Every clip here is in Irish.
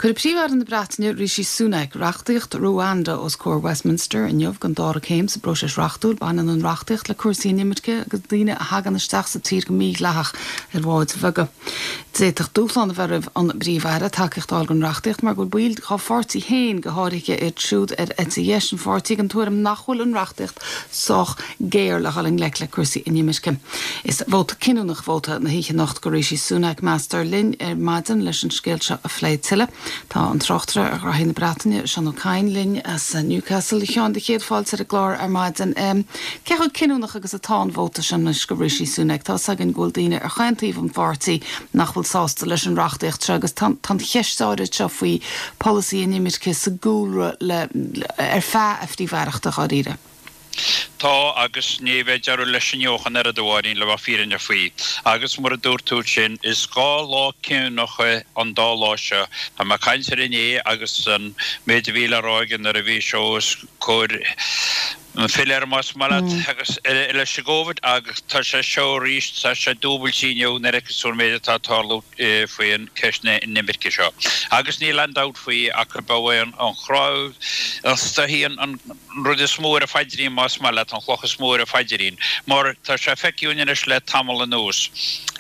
Cuirfidh Príomh-Aire na Breataine, Rishi Sunak, reachtaíocht Ruanda os comhair Westminster inniu don dara céim sa bpróiseas reachtúil. Baineann an reachtaíocht le cúrsaí inimirce agus daoine a thagann isteach sa tír go mídhleathach ar bháid bheaga. D'fhéadfadh dúshlán a bheith roimh an bPríomh-Aire tacaíocht a fháil don reachtaíocht mar go bhfuil baill dá pháirtí féin, go háirithe iad siúd ar eite dheis an pháirtí, den tuairim nach bhfuil an reachtaíocht sách géar le dhul i ngleic le cúrsaí inimirce. Is vóta cinniúnach vóta na hoíche anocht do Rishi Sunak, meastar. Linn ar maidin leis an scéal seo a phlé tuilleadh, tá an tráchtaire ar ghraithí na Breataine, Seán Ó Cadhain, linn as Newcastle. A Sheáin, do chéad fáilte ar an gclár ar maidin. Cé chomh cinniúnach agus atá an vóta seo anois do Rishi Sunak? Tá's againn go bhfuil daoine ar chaon taobh an pháirtí nach bhfuil sásta leis an reachtaíocht seo agus tá an cheist áirid seo faoi pholasaí inimirce sa gcúlra le ar feadh a phríomh-aireachta, dháiríre. Tá, agus ní bheidh deireadh leis inniu ach an oiread, a Mháirín, le bheith fírinneach faoi. Agus mar a dúirt tú ansin, is 2 lá cinniúnacha an dá lá seo. Tá mé ag caint ar inné agus an méid a bhí le rá aige nuair a bhí sé os comhair an philéir, más maith leat, agus leis an gCovid, agus tá sé seo arís, tá sé dúbailte inniu nuair a fheiceas tú an méid atá ag tarlú faoin ceist na inimirce seo. Agus níl aon dabht faoi ach gurb é an chnámh, an stoithí, an. an rud is mó ar a phaidrín, más maith leat, an chloch is mó ar a phaidrín, mar tá sé feicthe againn anois le tamall anuas,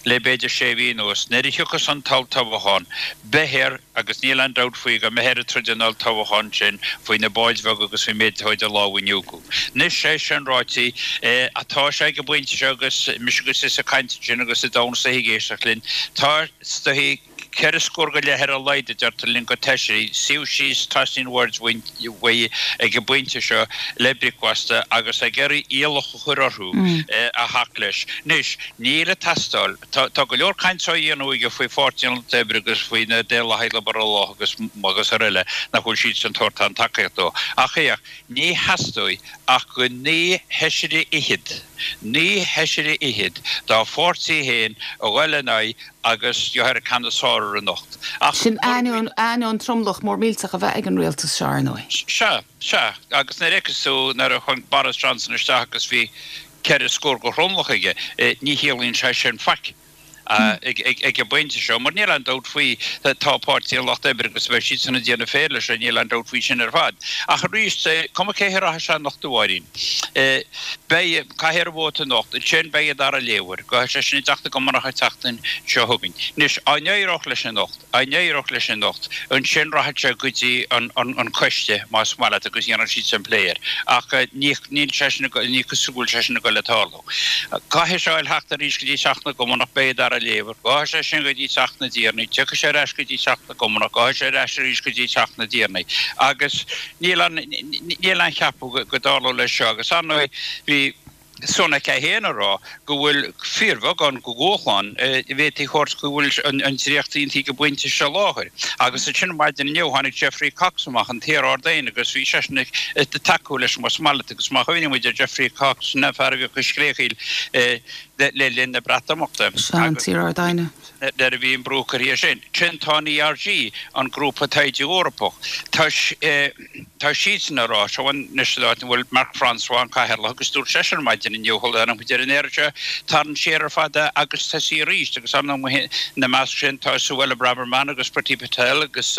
le b'fhéidir sé mhí anuas, nuair a thiocfas an t-olltoghchán, beidh air, agus níl aon dabht faoi, go mbeidh air ag troid an olltoghcháin sin faoi na báid bheaga agus faoin méid atá idir lámha inniu acu. Anois, é sin ráite, tá sé ag an bpointe seo agus mise agus tusa ag caint ansin agus an domhan istigh ag éisteacht linn, tá is dóichí, Ceithre scór go leith ar a laghad, a deirtear linn, de fheisirí, suí síos trasna an bhoird uaidh ag an bpointe seo le bricfeasta agus ag iarraidh iallach a chur orthu a theacht leis. Anois, níl ag teastáil. Tá go leor cainte á dhéanamh aige faoi Pháirtí an Lucht Oibre agus faoi na Daonlathaigh Liobrálach agus agus araile nach bhfuil siadsan ag tabhairt aon tacaíocht dó. Ach féach, ní theastóidh ach go naoi bhfeisire fhichead, naoi bhfeisire fhichead dá pháirtí féin a dhul in aghaidh agus gheobhaidh an ceann is fearr air anocht. Ach Sin ainneoin, ainneoin tromlach mór millteach a bheith ag an rialtas seo, ar ndóigh. Sea, sea. Agus nuair a fheiceas tú, nuair a tháinig Boris Johnson isteach agus bhí ceithre scór de thromlach aige, ní chiallaíonn sé sin faic ag an bpointe seo, mar níl aon dabht faoi, tá Páirtí an Lucht Oibre agus beidh siadsan ag déanamh féir leis, níl aon dabht faoi sin ar fad. Ach arís, cuma cé a rachaidh sé anocht, a Mháirín. Beidh, caithfear an vóta anocht, ansin beidh an dara léamh air, gabhfaidh sé sin i dTeach na gCommonach an tseachtain seo chugainn. Anois, á n-éireodh leis anocht, á n-éireodh leis anocht, ansin rachaidh sé go dtí an coiste, más maith leat, agus dhéanfaidh siadsan plé air. Ach ní, níl sé sin, ní cosúil go bhfuil sé sin ag dul le tarlú. Caithfidh sé a theacht arís go dtí Teach na gCommonach, beidh an dara léamh air. Gabhfaidh sé sin go dtí Teach na dTiarnaí, tiocfaidh sé ar ais go dtí Teach na gCommonach, gabhfaidh sé ar ais arís go dtí Teach na dTiarnaí. Agus níl aon, níl aon cheapadh go dtarlóidh leis seo agus ar ndóigh bhí Sunak é féin ag rá go bhfuil fíorbheagán de dhúshlán a bhféadfaí a thabhairt go bhfuil an dréacht aontaithe ag an bpointe seo láthair. Agus ansin maidin inniu tháinig Geoffrey Cox amach, an t-iar-Ard-Aighne, agus bhí seisean ag tacú leis más maith leat agus má chuimhníonn muid ar Geoffrey Cox, sin an fear a bhíodh ag scréachaíl le linn na Breatimeachta. Sea, an t-iar-Ard-Aighne. nuair a bhí an brú curtha air sin. Sin tá an ERG, an Grúpa Taighde Eorpach, tá tá siadsan ag rá, seo anois an áit ina bhfuil Marc Francois, an cathaoirleach, agus dúirt seisean maidin inniu, sula dtáinig muid ar an aer anseo, tarraing siar ar fad é agus tosaí arís agus ar ndóigh ina measc sin tá Suella Braverman agus Priti Patel agus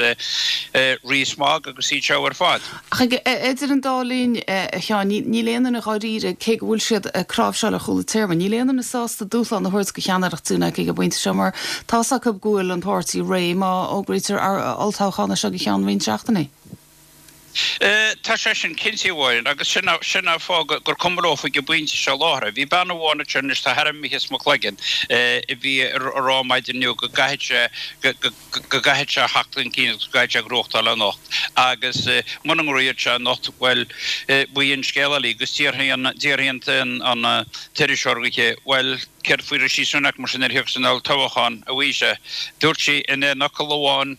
Rees-Mogg agus iad seo ar fad. Ach idir an dá linn, a Sheáin, níl aon duine dháiríre, cé go bhfuil siad ag cnáimhseáil ar chúl an téarma, níl aon duine sásta dúshlán a thabhairt do cheannaireacht Sunak ag an bpointe seo mar tá's acu go bhfuil an páirtí réidh má fhógraítear olltoghchán as seo go ceann roinnt seachtainí. Tá sé sin cinnte, a Mháirín, agus sin an fáth gur cuma leo ag an bpointe seo láthair. Bhí bean amháin ansin anois, tá a hainm imithe as mo chloigeann, a bhí ag rá maidin inniu go gcaithfidh sé, go. go gcaithfidh sé theacht chun cinn agus go gcaithfidh sé gnóthachtáil anocht agus muna ngnóthaíonn sé anocht, bhuel, b'í an scéal eile agus déarfaidh an, déarfaidh an, an t-iriseoir chuici, bhuel, céard faoi Rishi Sunak mar sin nuair a thiocfas an olltoghchán, a Mhaoise? Dúirt sí in aon fhocal amháin,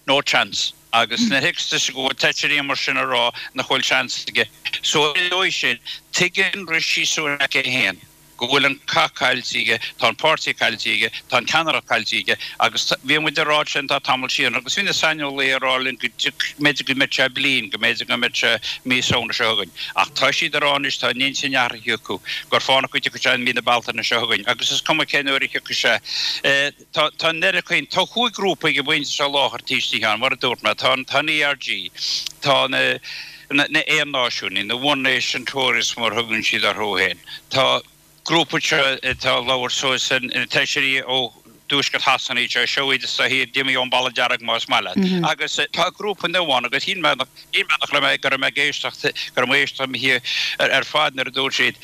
no chance. Agus nuair a thiocfas tusa go bhfuil feisirí mar sin a rá nach bhfuil seans aige, so ar an dóigh sin, tuigeann Rishi Sunak é féin. Go bhfuil an cath caillte aige, tá an páirtí caillte aige, tá an ceannaireacht caillte aige agus bhí muid ag rá sin tá tamall siar agus bhí na saineolaithe ag rá linn go mb'fhéidir go mbeadh sé bliain, go mb'fhéidir go mbeadh sé mí Samhna seo chugainn. Ach tá siad ag rá anois, tá an intinn athraithe acu, gur fánach go dtiocfaidh sé i mí na Bealtaine seo chugainn agus is cuma cén uair a thiocfaidh sé. Tá tá an oiread caoin, tá chúig ghrúpa ag an bpointe seo láthair taobh istigh ann, mar a dúirt mé, tá an tá an ERG, tá na na na Aon-Náisiúnaigh, na One Nation Tories mar a thugann siad orthu féin, tá grúpa anseo atá ag labhairt suas, na feisirí ó dtuaisceart Shasana iad seo, seo iad is dóichí a d'imigh ón bhFalla Dearg más maith leat. Agus tá grúpa nua ann agus shíl mé nach shíl mé nach raibh mé go raibh mé ag éisteacht go raibh mé ag éisteacht ar fad nuair a dúirt siad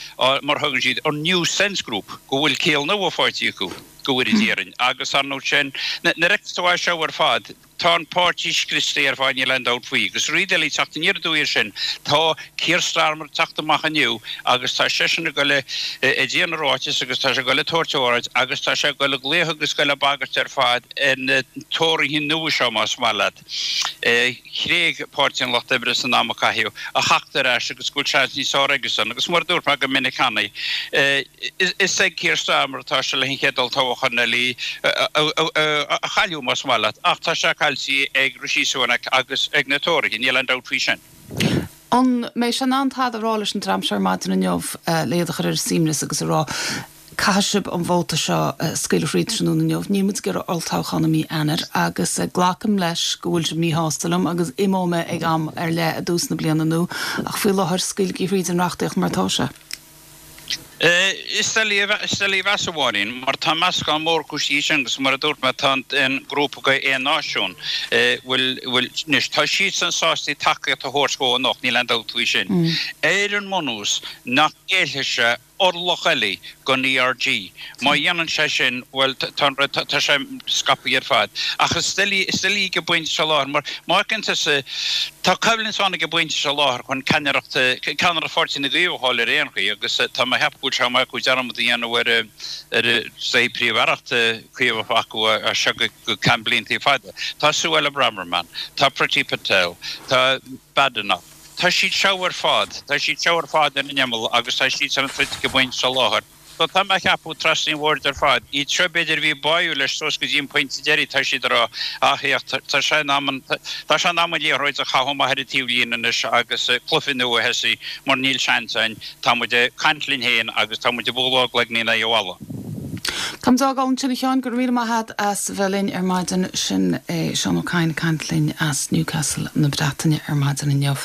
mar a thugann siad an New Sense Group, go bhfuil ciall nua faighte acu. go bhfóire Dia orainn. Agus ar ndóigh sin, nuair a fheiceann tú é seo ar fad, tá an páirtí scriosta ar fad, níl aon dabht faoi. Agus rud eile ag teacht aniar aduaidh air sin, tá Keir Starmer ag teacht amach inniu agus tá seisean ag dul ag déanamh ráiteas agus tá sé ag dul ag tabhairt óráid agus tá sé ag dul ag glaoch agus ag dul ag bagairt ar fad ar na Tóraithe nua seo, más maith leat. Thréig Páirtí an Lucht Oibre san am a caitheadh, a theacht ar ais agus go bhfuil seans níos fearr aigesan. Agus mar a dúirt mé go minic cheana, is ag Keir Starmer atá sé leis an chéad olltoghchán eile a chailleadh, más maith leat, ach tá sé caillte ag Rishi Sunak agus ag na Tóraithe, níl aon dabht faoi sin. An mbeidh sé in ann tada a rá leis an dream seo ar maidin inniu le iad a chur ar a suaimhneas agus a rá, Caithfidh sibh an vóta seo a scaoileadh thríd tráthnóna inniu. Níl muid ag iarraidh olltoghchán i mí Eanáir agus glacaim leis go bhfuil sibh míshásta liom agus imeoidh mé ag am ar leith i dtús na bliana nua ach faoi láthair scaoiligí thríd an reachtaíocht mar atá sé. Is doiligh a mheas, a Mháirín, mar tá meascán mór cúinsí ansin agus mar a dúirt mé tá an grúpa de Aon Náisiún, bhfuil, bhfuil, anois tá siadsan sásta tacaíocht a thabhairt dhó anocht, níl aon dabht faoi sin, ar an mbunús nach ngéillfidh sé orlach eile don ERG. Má dhéanann sé sin, bhuel, tá an rud, tá sé scaipthe ar fad. Ach is doiligh, is doiligh ag an bpointe seo láthair, mar má fheiceann tusa, tá coimhlint ann ag an bpointe seo láthair chun ceannaireacht, ceannaireacht Pháirtí na gCaomhach a fháil ar aon chaoi agus tá mé a cheapadh go bhfuil sé maith acu dearmad a dhéanamh ar, ar say príomh-aireacht Caomhach acu as seo go ceann blianta fada. Tá Suella Braverman, tá Priti Patel, tá Badenoch. Tá siad seo ar fad, tá siad seo ar fad ar an imeall agus tá siad san troid ag an bpointe seo láthair. So tá mé a cheapadh trasna an bhoird ar fad, iad seo b'fhéidir a bhí báúil leis suas go dtí an pointe deiridh, tá siad ag rá, ah féach, tá sé in am an, tá sé in am an liathróid a chaitheamh amach ar an taobhlíne anois agus cluiche nua a thosaí mar níl seans againn, tá muid ag caint linn féin agus tá muid ag bualadh ár gcloigne in aghaidh an bhalla. Táimid á fhágáil ansin a Sheáin, go raibh míle maith agat as bheith linn ar maidin. Sin é Seán Ó Cadhain ag caint linn as Newcastle na Breataine ar maidin inniu.